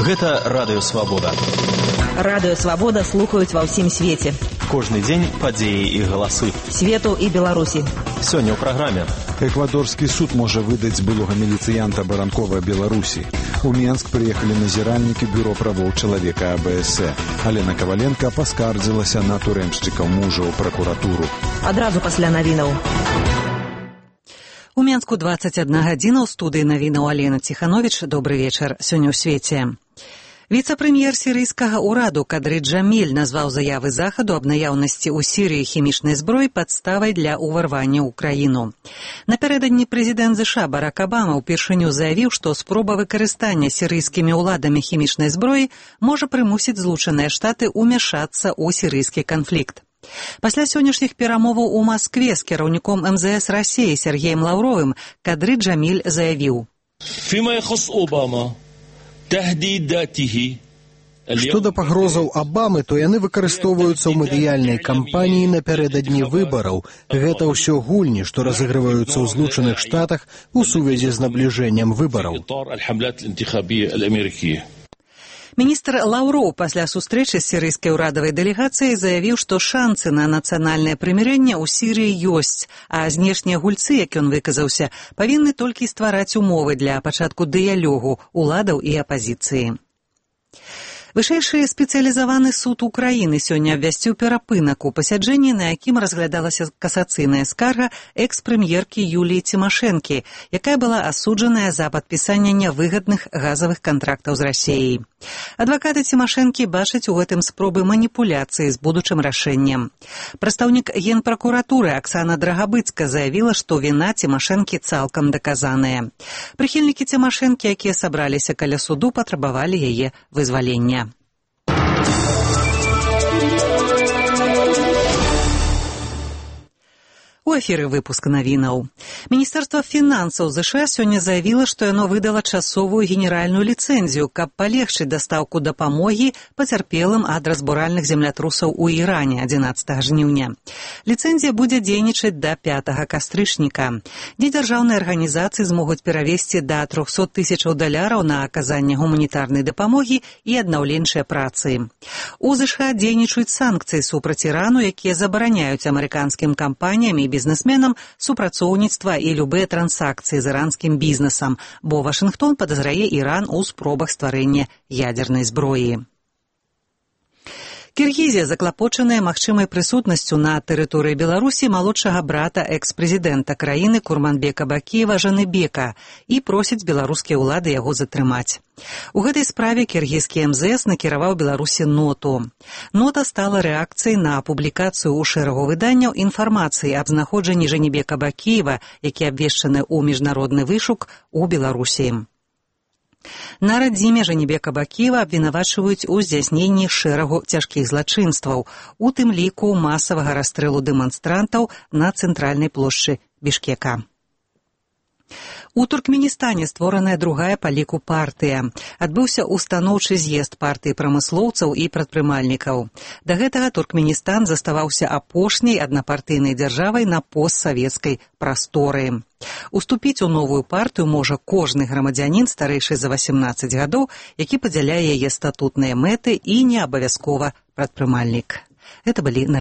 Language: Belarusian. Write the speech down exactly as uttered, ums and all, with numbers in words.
Гэта Радыё Свабода. Радыё Свабода слухаюць ва ўсім свеце. Кожны дзень падзеі і галасы. Свету і Беларусі. Сёння ў праграме. Эквадорскі суд можа выдаць былога міліцыянта Баранкова Беларусі. У Менск прыехалі назіральнікі бюро правоў чалавека А Б С. Алена Каваленка паскардзілася на турэмшчыкаў мужа ў пракуратуру. Адразу пасля навінаў. У Менску дваццаць адна гадзіна, ў студыі навінаў Алена Ціхановіч. Добры вечар. Сёння ў свеце. Віцэ-прэм'ер сірыйскага ўраду Кадры Джаміль назваў заявы Захаду аб наяўнасці ў Сірыі хімічнай зброі падставай для ўварвання ў краіну. Напярэдадні прэзідэнт ЗША Барак Абама ўпершыню заявіў, што спроба выкарыстання сірыйскімі ўладамі хімічнай зброі можа прымусіць Злучаныя Штаты ўмяшацца ў сірыйскі канфлікт. Пасля сённяшніх перамоваў у Маскве з кіраўніком эм зэ эс Расіі Сергеем Лаўровым Кадры Джаміль заявіў: Што да пагрозаў Абамы, то яны выкарыстоўваюцца ў медыяльнай кампаніі напярэдадні выбараў. Гэта ўсё гульні, што разыгрываюцца ў Злучаных Штатах у сувязі з набліжэннем выбараў. Міністр Лаўроў пасля сустрэчы з сірыйскай урадавай дэлегацыяй заявіў, што шанцы на нацыянальнае прымірэнне ў Сірыі ёсць, а знешнія гульцы, як ён выказаўся, павінны толькі ствараць умовы для пачатку дыялогу уладаў і апазіцыі. Вышэйшы спецыялізаваны суд Украіны сёння абвясціў перапынак у пасяджэнні, на якім разглядалася касацыйная скарга экс-прэм'еркі Юліі Цімашэнкі, якая была асуджаная за падпісанне нявыгадных газавых кантрактаў з Расіяй. Адвакаты Цімашэнкі бачаць у гэтым спробы маніпуляцыі з будучым рашэннем. Прадстаўнік генпракуратуры Аксана Драгабыцка заявіла, што віна Цімашэнкі цалкам даказаная. Прыхільнікі Цімашэнкі, якія сабраліся каля суду, патрабавалі яе вызвалення. У эфіры выпуск навінаў. Міністэрства фінансаў ЗША сёння заявіла, што яно выдала часовую генеральную ліцэнзію, каб палегчыць дастаўку дапамогі пацярпелым ад разбуральных землятрусаў у Іране адзінаццатага жніўня. Ліцэнзія будзе дзейнічаць да пятага кастрычніка. Недзяржаўныя арганізацыі змогуць перавесці да трохсот тысячаў даляраў на аказанне гуманітарнай дапамогі і аднаўленчыя працы. У ЗША дзейнічаюць санкцыі супраць Ірану, якія забараняюць амерыканскім кампаніям і бізнесменам супрацоўніцтва і любыя трансакцыі з іранскім бізнесам, бо Вашынгтон падазрае Іран у спробах стварэння ядзернай зброі. Кіргізія заклапочаная магчымай прысутнасцю на тэрыторыі Беларусі малодшага брата экс-прэзідэнта краіны Курманбека Бакіева Жаныбека і просіць беларускія ўлады яго затрымаць. У гэтай справе кіргізскі эм зэ эс накіраваў Беларусі ноту. Нота стала рэакцыяй на публікацыю ў шэрагу выданняў інфармацыі аб знаходжанні Жаныбека Бакіева, які абвешчаны ў міжнародны вышук у Беларусі. На радзіме Жаныбека Бакіева абвінавачваюць у здзяйсненні шэрагу цяжкіх злачынстваў, у тым ліку масавага расстрэлу дэманстрантаў на цэнтральнай плошчы Бішкека. У Туркменістане створаная другая па ліку партыя. Адбыўся устаноўчы з'езд партыі прамыслоўцаў і прадпрымальнікаў. Да гэтага Туркменістан заставаўся апошняй аднапартыйнай дзяржавай на постсавецкай прасторы. Уступіць у новую партыю можа кожны грамадзянін старэйшы за васемнаццаць гадоў, які падзяляе яе статутныя мэты і не абавязкова прадпрымальнік. Гэта былі